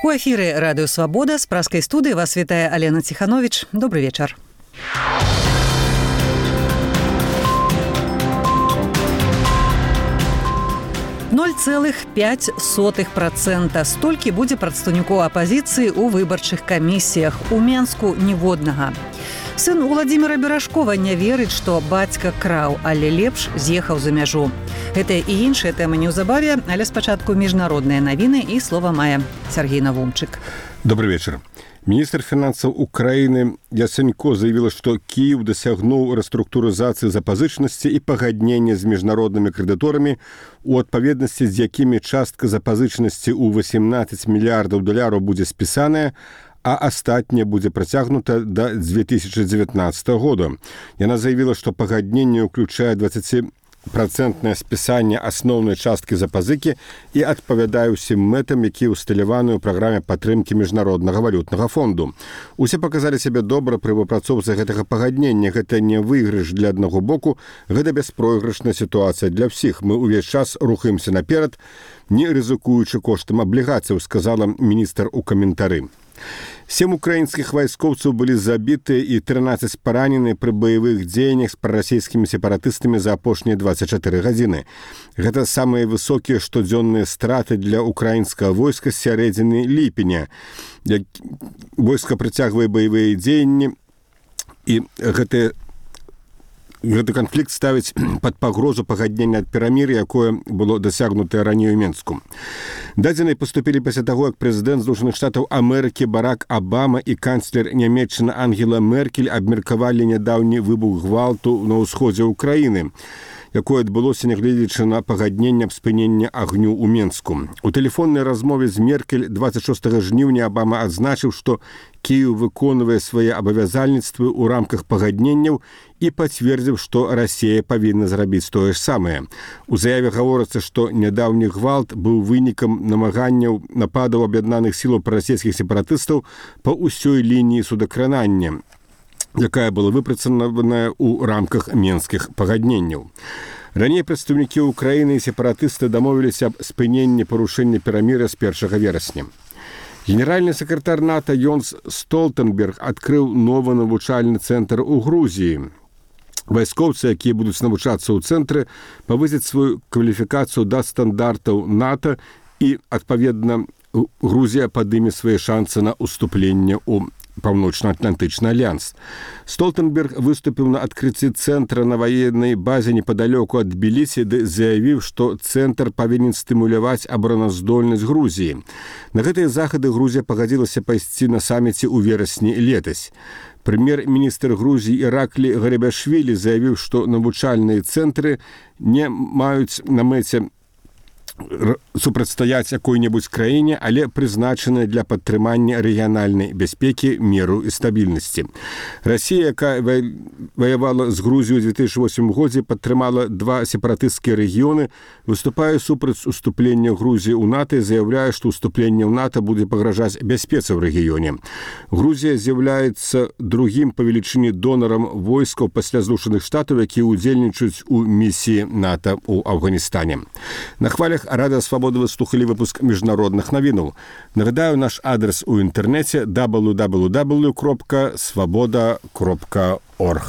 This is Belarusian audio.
У эфіры радыё «Свабода» з праскай студыі вас вітае Алена Ціхановіч. Добры вечар. %0,05%. Столькі будзе прадстаўнікоў апазіцыі ў выбарчых камісіях. У Менску ніводнага. Сын Уладзіміра Беражкова не верыць, што бацька краў, але лепш з'ехаў за мяжу. Гэтая і іншыя тэмы неўзабаве, але спачатку міжнародныя навіны і слова мае Сергей Навумчык. Добрый вечер. Министр финансов Украины Яценько заявила, что Киев досягнул реструктуризации запозычности и погоднения с международными кредиторами, у отповедности с якими частка запозычности у $18 миллиардов будет списаная, а астатняе будзе працягнута до 2019 года. Яна заявила, что погоднение уключае 20% спісанне асноўнай часткі запазыкі і адпавядае ўсім мэтам, якія ўсталяваны ў праграме падтрымкі міжнароднага валютнага фонду. Усе паказалі сябе добра пры выпрацоўцы гэтага пагаднення. Гэта не выйгрыш для аднаго боку, гэта бяспройгрышная сітуацыя для ўсіх. Мы ўвесь час рухаемся наперад, не рызыкуючы коштам аблігацыяў, сказала міністр у каментары. 7 украінскіх вайскоўцаў былі забіты і 13 паранены пры баявых дзеяннях з прарасійскімі сепаратыстамі за апошнія 24 гадзіны. Гэта самыя высокія штодзённыя страты для украінскага войска з сярэдзіны ліпеня. Войска працягвае баявыя дзеянні, і гэты канфлікт ставіць пад пагрозу пагаднення ад перамір'я, якое было дасягнутае раней у Менску. Дадзеныя паступілі пасля таго, як прэзідэнт Злучаных Штатаў Амерыкі Барак Абама і канцлер Нямецчыны Ангела Меркель абмеркавалі нядаўні выбух гвалту на ўсходзе ўкраіны, якое адбылося нягледзячы на пагадненне аб спыненні агню ў Менску. У тэлефоннай размове з Меркель 26 жніўня Абама адзначыў, што Киев выконвае свае абавязальніцтвы ў рамках пагадненняў і пацвердзіў, што Расія павінна зрабіць тое ж самае. У заяве гаворыцца, што нядаўні гвалт быў вынікам намаганняў нападаў аб'яднаных сілаў прарасійскіх сепаратыстаў па ўсёй лініі судакранання, якая была выпрацаваная ў рамках менскіх пагадненняў. Раней прадстаўнікі Украіны і сепаратысты дамовіліся аб спыненні парушэння перамір'я з 1 верасня. Генеральны сакратар НАТО Йонс Столтенберг адкрыў новы навучальны цэнтр у Грузіі. Вайскоўцы, якія будуць навучацца ў цэнтры, павысяць сваю кваліфікацыю да стандартаў НАТО і, адпаведна, Грузія падыме свае шансы на ўступленне ў Паўночна-Атлантычны альянс. Столтенберг выступіў на адкрыцці цэнтра на ваеннай базе непадалёку ад Тбілісі, ды заявіў, што цэнтр павінен стымуляваць абараназдольнасць Грузіі. На гэтыя захады Грузія пагадзілася пайсці на саміце ў верасні летась. Прэм'ер-міністр Грузіі Іраклі Гарибашвілі заявіў, што навучальныя цэнтры не маюць на мэце супрацьстаяць якой-небудзь краіне, але прызначаныя для падтрымання рэгіянальнай бяспекі, міру і стабільнасці. Расія, якая ваявала з Грузіяй у 2008 годзе, падтрымала 2 сепаратысцкія рэгіёны, выступае супраць уступлення Грузіі ў НАТО і заяўляе, што ўступленне ў НАТО будзе пагражаць бяспецы ў рэгіёне. Грузія з'яўляецца другім па велічыні донарам войскаў пасля Злучаных Штатаў, якія ўдзельнічаюць у місіі НАТО ў Афганістане. На хвалях Радыё Свабода вы слухалі выпуск міжнародных навінаў. Нагадаю, наш адрес у інтэрнэце www.swaboda.org.